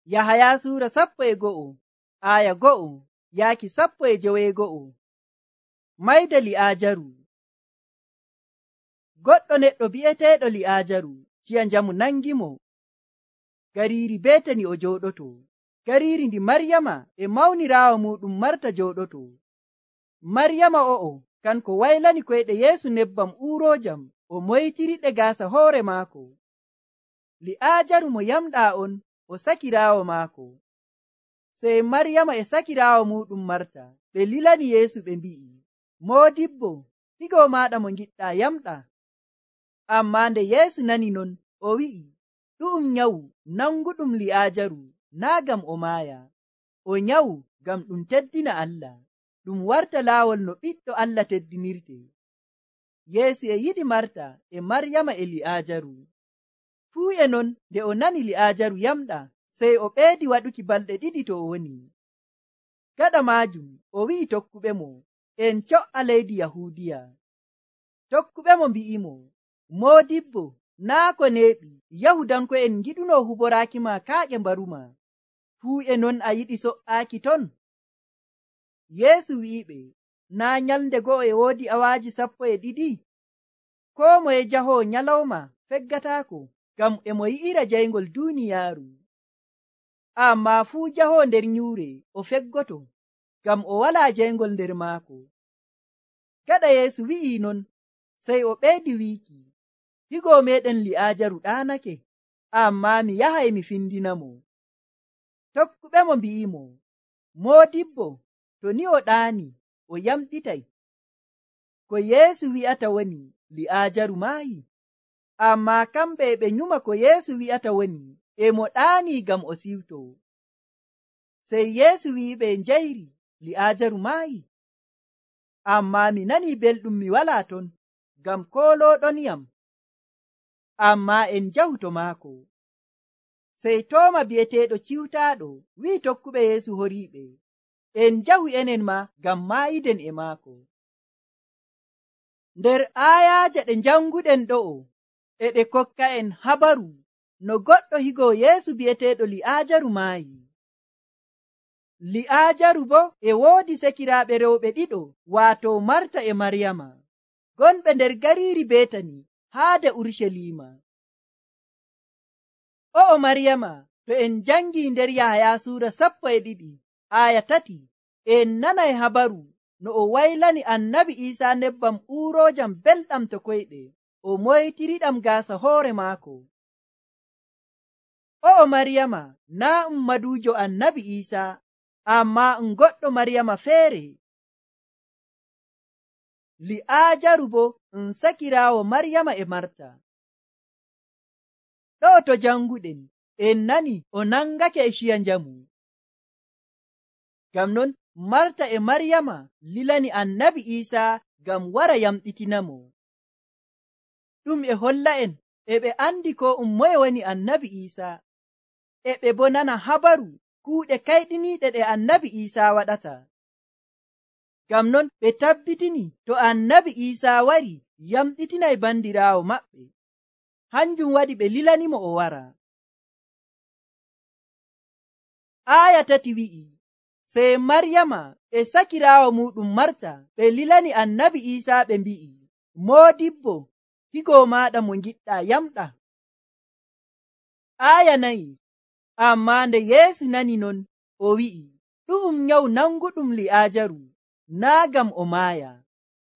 Yahaya suura 11 aya 1 yaaki 12. Mayde Li'aajaru. Goɗɗo neɗɗo bi'eteeɗo Li'aajaru ciya njamu nangimo gariiri Betani o jooɗoto. Gariiri ndi Maryama e mawniraawo muɗum Marta jooɗoto. Maryama o'o kanko waylani koyɗe Yeesu nebbam uuroojam o moytiriɗe gaasa hoore maako. Li'aajaru mo yamɗaa on o sakiraawo maako. Sey Maryama e sakiraawo muɗum Marta ɓe lilani Yeesu ɓe mbi'i, Moodibbo, higo maaɗa mo ngiɗɗaa yamɗa. Ammaa nde Yeesu nani non, o wi'i, ɗu'um nyawu nanguɗum Li'aajaru naa gam o maaya. O nyawu ngam ɗum teddina Allah, ɗum warta laawol no ɓiɗɗo Allah teddinirte. Yeesu e yiɗi Marta e Maryama e Li'aajaru. Fuu e non nde o nani Li'aajaru yamɗa, sey o ɓeedi waɗuki balɗe 2 to o woni. Gaɗa maajum o wi'i tokkuɓemo, en co'a leydi Yahuudiya. Tokkuɓemo mbi'imo, Moodibbo, naa ko neeɓi Yahudanko'en ngiɗuno huboraaki ma kaaƴe mbaruma. Fuu e non a yiɗi so'aaki ton? Yeesu wi'iɓe, naa nyalnde go'o e woodi awaaji 12? Koo moye jahoo nyalawma feggataako, ngam e mo yi'ira jayngol duuniyaaru. Ammaa fuu jahoo nder nyuure o feggoto, ngam o walaa jayngol nder maako. Gaɗa Yeesu wi'i non, sey o ɓeydi wiiki, higo meɗen Li'aajaru ɗaanake, ammaa mi yahay mi findinamo. Tokkuɓemo mbi'imo, Moodibbo, to ni o ɗaani o yamɗitay. Ko Yeesu wi'ata woni Li'aajaru maayi. Ammaa kamɓe e ɓe nyuma ko Yeesu wi'ata woni e mo ɗaani ngam o siwto. Sey Yeesu wi'iɓe njayri Li'aajaru maayi. Ammaa mi nanii belɗum mi walaa ton, ngam koolooɗonyam. Ammaa en njahu to maako. Sey Tooma bi'eteeɗo Ciwtaaɗo wi'i tokkuɓe Yeesu horiiɓe, en njahu enen ma ngam maayiden e maako. Nder aayaaje ɗe njanguɗen ɗo'o e ɗe kokka en habaru no goɗɗo higo Yeesu bi'eteeɗo Li'aajaru maayi. Li'aajaru bo e woodi sekiraaɓe rewɓe 2, waato Marta e Maryama, gonɓe nder gariiri Betani haade Urucaliima. O'o Maryama, to en jangii nder Yahaya suura 12 aya 3, en nanay habaru no o waylani Annabi Iisaa nebbam uuroojam belɗam to koyɗe, o moytiriɗam gaasa hoore maako. O'o Maryama naa maduujo Annabi Iisaa, ammaa goɗɗo Maryama feere. Li'aajaru bo sakiraawo Maryama e Marta. Ɗo to janguɗen en nani o nangake e ciya njamu. Ngam non Marta e Maryama lilani Annabi Iisaa ngam wara yamɗitinamo. Ɗum e holla en e ɓe andi ko moye woni Annabi Iisaa, e ɓe bo nana habaru kuuɗe kayɗiniiɗe ɗe Annabi Iisaa waɗata. Ngam non ɓe tabbitini to Annabi Iisaa wari yamɗitinay bandiraawo maɓɓe. Hanjum waɗi ɓe lilanimo o wara. Aya 3 wi'i, sey Maryama e sakiraawo muɗum Marta ɓe lilani Annabi Iisaa ɓe mbi'i, Moodibbo, higo maaɗa mo ngiɗɗaa yamɗa. Aya 4, ammaa nde Yeesu nani non, o wi'i, ɗu'um nyawu nanguɗum Li'aajaru naa gam o maaya.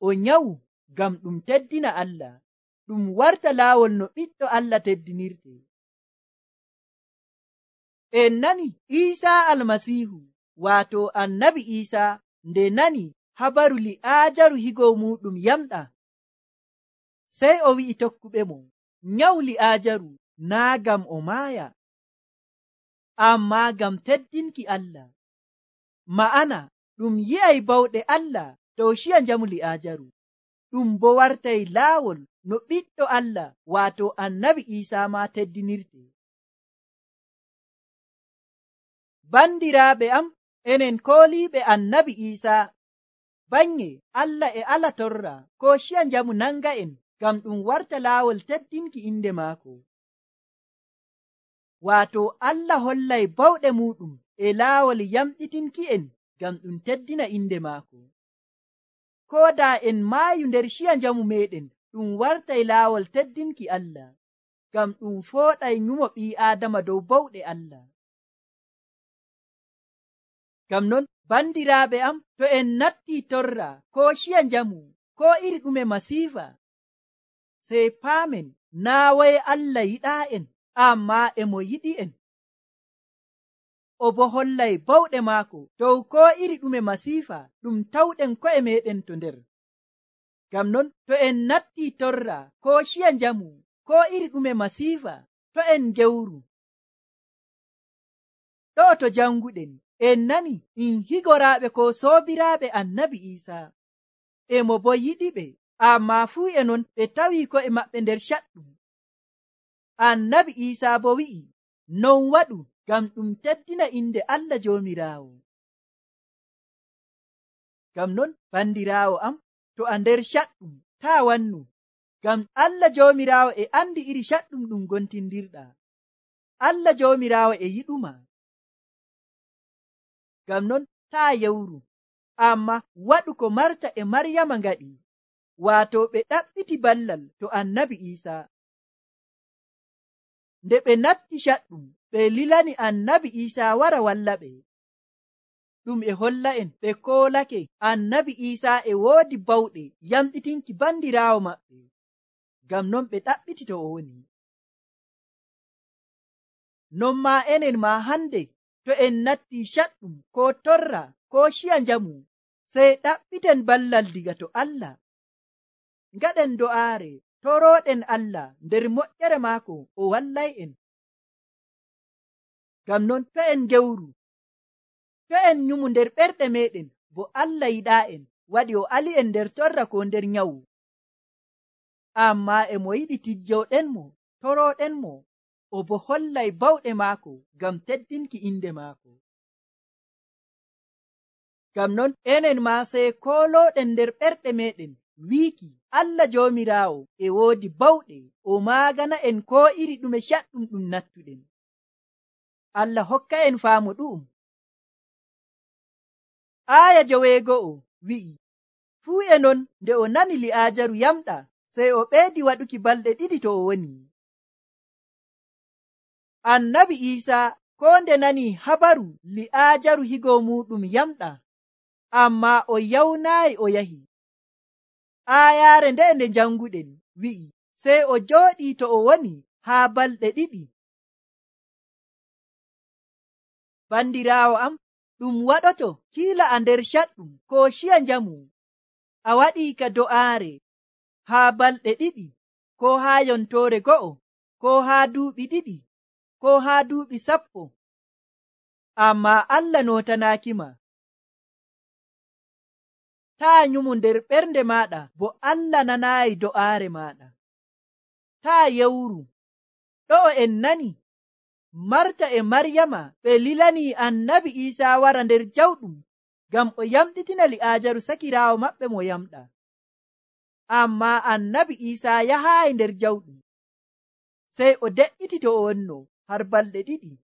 O nyawu ngam ɗum teddina Allah, ɗum warta laawol no ɓiɗɗo Allah teddinirte. En nani Iisaa Almasiihu, waato Annabi Iisaa, nde nani habaru Li'aajaru higo muɗum yamɗa, sey o wi'i tokkuɓemo, nyawu Li'aajaru naa gam o maaya, ammaa gam teddinki Allah. Ma'ana ɗum yi'ay bawɗe Allah dow ciya njamu Li'aajaru, ɗum bo wartay laawol no ɓiɗɗo Allah waato Annabi Iisaa ma teddinirte. Bandiraaɓe am, enen kooliiɓe Annabi Iisaa, bannge Allah e ala torra ko ciya njamu nanga en ngam ɗum warta laawol teddinki inde maako. Waato Allah hollay bawɗe muɗum e laawol yamɗitinki'en ngam ɗum teddina inde maako. Koo daa en maayu nder ciya njamu meɗen, ɗum wartay laawol teddinki Allah, ngam ɗum fooɗay nyumo ɓii Aadama dow bawɗe Allah. Ngam non, bandiraaɓe am, to en nattii torra koo ciya njamu koo iri ɗume masiifa, sey paamen naa waye Allah yiɗaa'en, ammaa e mo yiɗi'en. O bo hollay bawɗe maako dow koo iri ɗume masiifa ɗum tawɗen ko'e meɗen to nder. Ngam non, to en nattii torra koo ciya njamu koo iri ɗume masiifa, to en gewru. Ɗo'o to janguɗen en nani in higoraaɓe ko soobiraaɓe Annabi Iisaa, e mo bo yiɗiɓe, ammaa fuu e non ɓe tawii ko'e maɓɓe nder caɗɗum. Annabi Iisaa bo wi'i non waɗu ngam ɗum teddina inde Allah Joomiraawo. Ngam non, bandiraawo am, to a nder caɗɗum taa wannu, ngam Allah Joomiraawo e andi iri caɗɗum ɗum gontindirɗaa. Allah Joomiraawo e yiɗuma. Ngam non, taa yewru, amma waɗu ko Marta e Maryama ngaɗi, waato ɓe ɗaɓɓiti ballal to Annabi Iisaa. Nde ɓe natti caɗɗum, ɓe lilani Annabi Iisaa wara wallaɓe. Ɗum e holla en ɓe koolake Annabi Iisaa e woodi bawɗe yamɗitinki bandiraawo maɓɓe, ngam non ɓe ɗaɓɓiti to o woni. Non maa enen maa hande, to en nattii caɗɗum koo torra koo ciya njamu, sey ɗaɓɓiten ballal diga to Allah. Ngaɗen do'aare, torooɗen Allah nder moƴƴere maako o wallay'en. Ngam non, to en gewru, to en nyumu nder ɓerɗe meɗen, bo Allah yiɗaa'en, waɗi o ali'en nder torra koo nder nyawu. Ammaa e mo yiɗi tijjowɗenmo, torooɗenmo, o bo hollay bawɗe maako ngam teddinki inde maako. Ngam non, enen maa sey koolooɗen nder ɓerɗe meɗen wiiki Allah Joomiraawo e woodi bawɗe, o maagana en koo iri ɗume caɗɗum ɗum nattuɗen. Allah hokka en faamu ɗu'um. Aaya 9 wi'i, fuu e non nde o nani Li'aajaru yamɗa, sey o ɓeydi waɗuki balɗe 2 to o woni. Annabi Iisaa koo nde nani habaru Li'aajaru higo muɗum yamɗa, ammaa o yawnaayi o yahi. Aayaare nde janguɗen wi'i, sey o jooɗii to o woni haa balɗe 2. Bandiraawo am, ɗum waɗoto kiila a nder caɗɗum koo ciya njamu, a waɗii ka do'aare haa balɗe 2, koo haa yontoore 1, koo haa duuɓi 2, koo haa duuɓi 10, ammaa Allah nootanaaki ma. Taa nyumu nder ɓernde maaɗa, bo Allah nanaayi do'aare maaɗa. Taa yewru. Ɗo'o en nani Marta e Maryama ɓe lilanii Annabi Iisaa wara nder jawɗum ngam o yamɗitina Li'aajaru sakiraawo maɓɓe mo yamɗa. Ammaa Annabi Iisaa yahaayi nder jawɗum, sey o de'iti to o wonno har balɗe 2.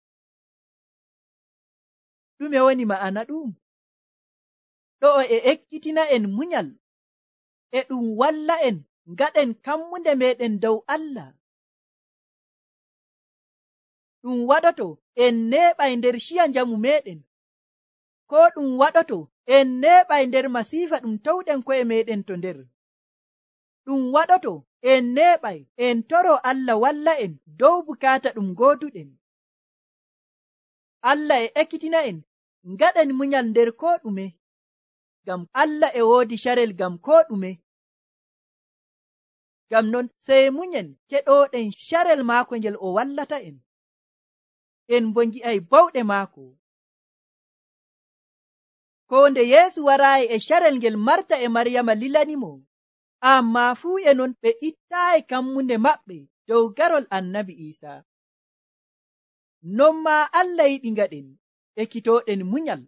Ɗume woni ma'ana ɗum? Ɗo'o e ekkitina en munyal, e ɗum walla en ngaɗen kammunde meɗen dow Allah. Ɗum waɗoto en neeɓay nder ciya njamu meɗen, koo ɗum waɗoto en neeɓay nder masiifa ɗum tawɗen ko'e meɗen to nder. Ɗum waɗoto en neeɓay en toro Allah walla en dow bukaata ɗum gooduɗen. Allah e ekkitina en ngaɗen munyal nder koo ɗume, ngam Allah e woodi carel ngam koo ɗume. Ngam non, sey munyen keɗooɗen carel maako ngel o wallata en. En bo ngi'ay bawɗe maako. Koo nde Yeesu waraayi e carel ngel Marta e Maryama lilanimo, ammaa fuu e non ɓe ittaayi kammunde maɓɓe dow garol Annabi Iisaa. Non maa Allah yiɗi ngaɗen ekkitooɗen munyal.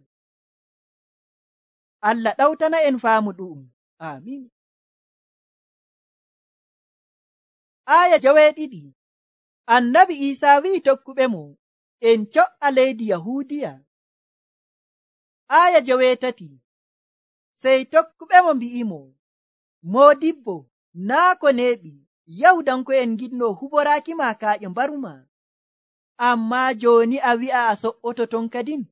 Allah ɗawtana en faamu ɗu'um. Amin. Aaya 2. Annabi Iisaa wi'i tokkuɓe mo, en co'a leydi Yahuudiya. Aya 7. Sey tokkuɓemo mbi'imo, Moodibbo, naa ko neeɓi Yahudanko'en ngiɗno huboraaki ma kaaƴe mbaruma, ammaa jooni a wi'a a so'oto ton kadin,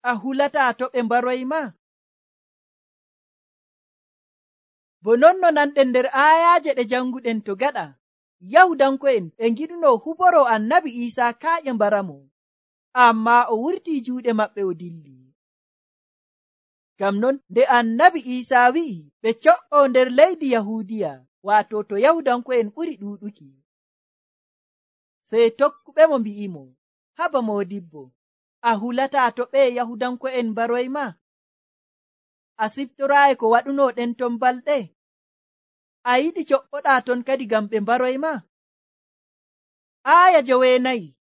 a hulataa to ɓe mbaroy ma. Bo non no nanɗen nder aayaaje ɗe janguɗen to gaɗa, Yahudanko'en e ngiɗno huboro annabi Iisaa kaaƴe mbaramo, ammaa o wurtii juuɗe maɓɓe o dilli. Ngam non nde annabi Iisaa wi'i ɓe co'o nder leydi Yahuudiya, waato to Yahudanko'en ɓuri ɗuuɗuki, sey tokkuɓemo mbi'imo, haba Moodibbo, a hulataa to ɓe Yahudanko'en mbaroy ma? A siftoraayi ko waɗuno ɗen ton balɗe? A yiɗi co'oɗaa ton kadi ngam ɓe mbaroy ma? Aya 9.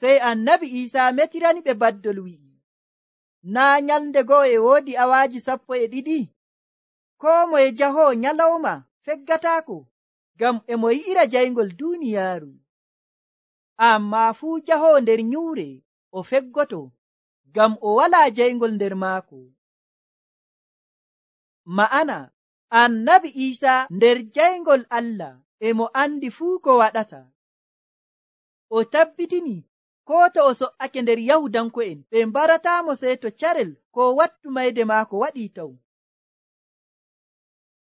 Sey annabi Iisaa metirani ɓe baddol wi'i, naa nyalnde go'o e woodi awaaji 12? Koo moye jahoo nyalawma feggataako, ngam e mo yi'ira jayngol duuniyaaru. Ammaa fuu jahoo nder nyuure o feggoto, ngam o walaa jayngol nder maako. Ma'ana, annabi Iisaa nder jayngol Allah e mo andi fuu ko waɗata. O tabbitini koo to o so'ake nder Yahudanko'en ɓe mbarataamo sey to carel ko wattu mayde maako waɗii taw.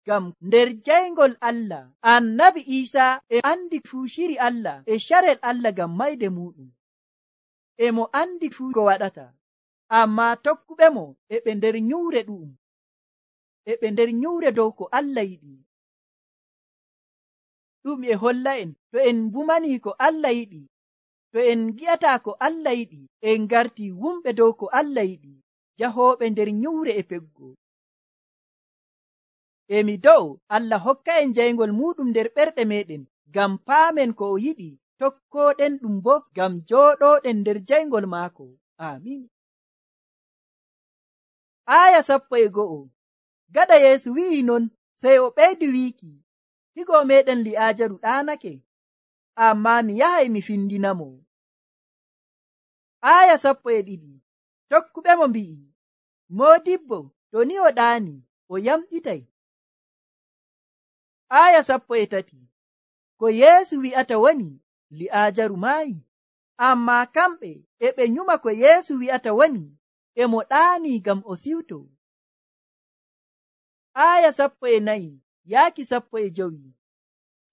Ngam nder jayngol Allah annabi Iisaa e andi fuu shiri Allah e carel Allah ngam mayde muɗum. E mo andi fuu ko waɗata, ammaa tokkuɓemo e ɓe nder nyuure ɗu'um, e ɓe nder nyuure dow ko Allah yiɗi. Ɗum e holla en to en mbumanii ko Allah yiɗi, to en gi'ataa ko Allah yiɗi, en ngartii wumɓe dow ko Allah yiɗi, jahooɓe nder nyuure e peggo. Emi dow Allah hokka en jayngol muɗum nder ɓerɗe meɗen, ngam paamen ko o yiɗi, tokkooɗen ɗum bo ngam jooɗooɗen nder jayngol maako. Amin. Aya 11. Gaɗa Yeesu wi'i non, sey o ɓeydi wiiki, higo meɗen Li'aajaru ɗaanake, ammaa mi yahay mi findinamo. Aya 12. Tokkuɓemo mbi'i, Moodibbo, to ni o ɗaani, o yamɗitay. Aya 13. Ko Yeesu wi'ata woni, Li'aajaru maayi, ammaa kamɓe e ɓe nyuma ko Yeesu wi'ata woni, e mo ɗaani ngam o siwto. Aya 14 yaaki 15.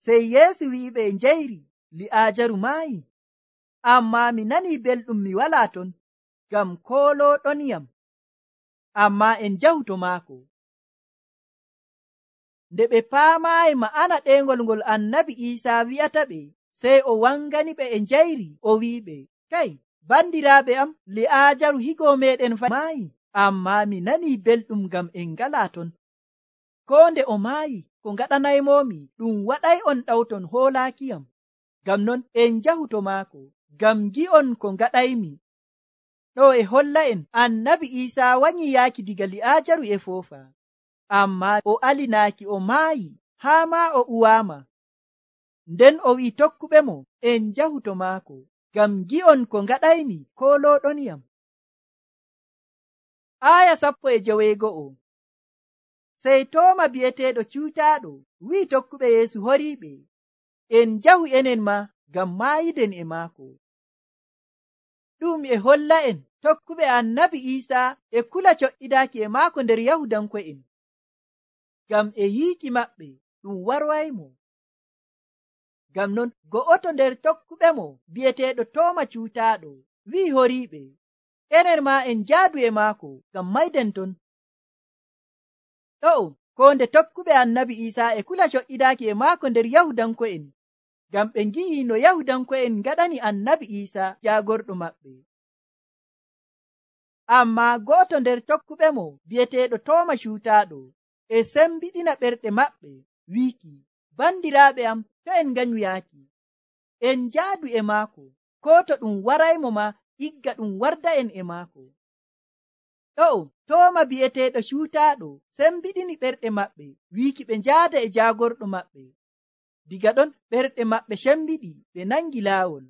Sey Yeesu wi'iɓe njayri, Li'aajaru maayi, ammaa mi nanii belɗum mi walaa ton, ngam koolooɗonyam, ammaa en njahu to maako. Nde ɓe paamaayi ma'ana ɗeengol ngol annabi Iisaa wi'ata ɓe, sey o wangani ɓe e njayri, o wi'iɓe, kay, bandiraaɓe am, Li'aajaru higo meɗen maayi, ammaa mi nanii belɗum ngam en ngalaa ton. Koo nde o maayi, ko ngaɗanaymomi ɗum waɗay on ɗawton hoolaakiyam. Ngam non en njahu to maako, ngam gi'on ko ngaɗaymi. Ɗo e holla en annabi Iisaa wanyii yaaki diga Li'aajaru e foofa, ammaa o alinaaki o maayi haa maa o uwaama. Nden o wi'i tokkuɓemo en njahu to maako, ngam gi'on ko ngaɗaymi koolooɗonyam. Aya 11. Sey Tooma bi'eteeɗo Cuutaaɗo wi'i tokkuɓe Yeesu horiiɓe, en njahu enen ma ngam maayiden e maako. Ɗum e holla en tokkuɓe annabi Iisaa e kula co'idaaki e maako nder Yahudanko'en, ngam e yiiki maɓɓe ɗum warwaymo. Ngam non go'oto nder tokkuɓemo bi'eteeɗo Tooma Cuutaaɗo wi'i horiiɓe, enen ma en njaadu e maako ngam mayden ton. Ɗo ko nde tokkuɓe annabi Iisaa e kula co'idaaki e maako nder Yahudanko'en, ngam ɓe ngi'i no Yahudanko'en ngaɗani annabi Iisaa jaagorɗo maɓɓe. Ammaa go'oto nder tokkuɓemo bi'eteeɗo Tooma Cuutaaɗo e sembiɗina ɓerɗe maɓɓe wiiki, bandiraaɓe am, to en nganyu yaaki, en njaadu e maako, koo to ɗum waraymo ma igga ɗum warda en e maako. Ɗo Tooma bi'eteeɗo Cuutaaɗo sembiɗini ɓerɗe maɓɓe wiiki ɓe njaada e jaagorɗo maɓɓe. Diga ɗon ɓerɗe maɓɓe sembiɗi, ɓe nangi laawol.